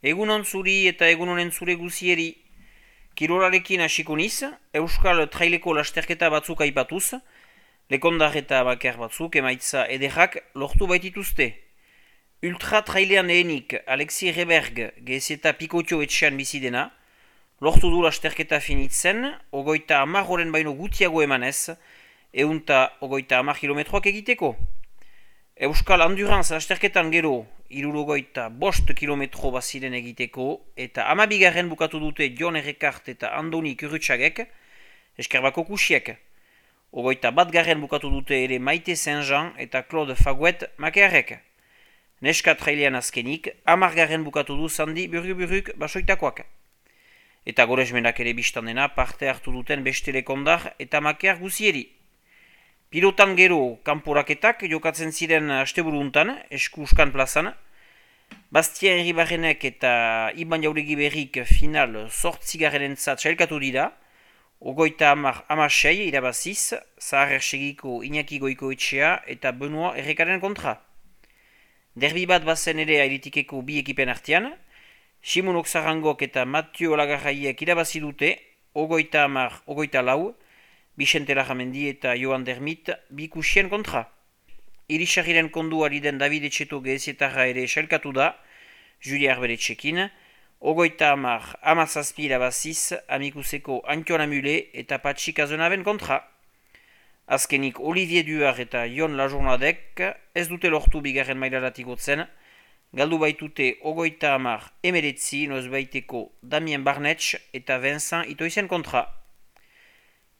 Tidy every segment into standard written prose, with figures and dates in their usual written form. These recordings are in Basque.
Egunon zuri eta egunonen zure guzieri. Kirolarekin hasiko niz, Euskal Traileko lasterketa batzuk aipatuz, lekondar eta bakar batzuk emaitza ederrak lortu baitituzte. Ultra trailean lehenik Alexi Reberg gezeta pikotio etxean bizidena, lortu du lasterketa finitzen, ogoita 10 horen baino gutiago emanez, eunta ogoita 10 kilometroak egiteko. Euskal Endurance lasterketan gero, 65 kilometro baziren egiteko, eta 12 bukatu dute Jon Errekart eta Andoni Kurutxagek, eskerbako kusiek. Ogoita 1 bukatu dute ere Maite Saint-Jean eta Claude Faguet Makearek. Neska trailean azkenik, 10 bukatu du Sandi Burguruk basoitakoak. Eta goresmenak ere biztan dena parte hartu duten beste lekondar eta Makear guzieri. Pilotan gero kanporaketak jokatzen ziren asteburuntan, eskuskan plazan. Bastien Ribarrenek eta Iban Jauregi Berrik final 8. sailkatu dira. Ogoita 16 irabaziz, Zahar Ersegiko Iñaki Goikoetxea eta Benoit Errekaren kontra. Derbi bat bazen ere airitikeko bi ekipen artean. Simon Oxarangok eta Mathieu Olagarraiek irabazi dute, ogoita 4, Vicente Larramendi eta Joan Dermit bikusien kontra. Irisarriren konduari den David Etxeto gehezetarra ere sailkatu da, Julia Arberetxekin, ogoita 17 irabaziz, Amikuseko Antion Amule eta Patxi Kazenaben kontra. Azkenik Olivier Duar eta Jon Lajournadek ez dute lortu bigarren mailaratik gotzen, galdu baitute ogoita 19 nozbaiteko Damien Barnetx eta Vincent Itoizen kontra.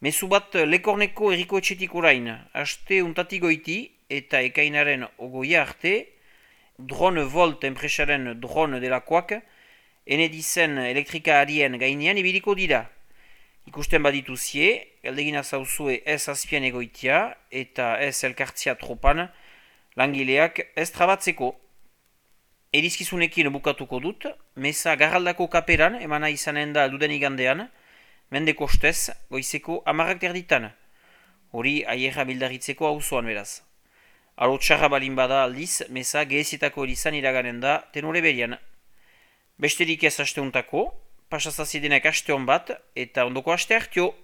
Mezu bat Lekorneko Eriko Etxetik orain, haste untatik goiti eta ekainaren ogoia arte, Drone Volt enpresaren drone delakoak, enedizen elektrika arien gainean ibiliko dira. Ikusten badituzie, galdegina zauzue ez azpian egoitia eta ez elkartzia tropan, langileak ez trabatzeko. Erizkizunekin bukatuko dut, meza garraldako kaperan emana izanen da duden igandean, mende kostez, goizeko 10:00 Hori aierra bildaritzeko auzoan beraz. Alo txarra balin bada aldiz, meza gehezietako erizan iraganen da tenore berian. Besterik ez asteuntako, pasazazidenek aste hon bat eta ondoko aste hartio.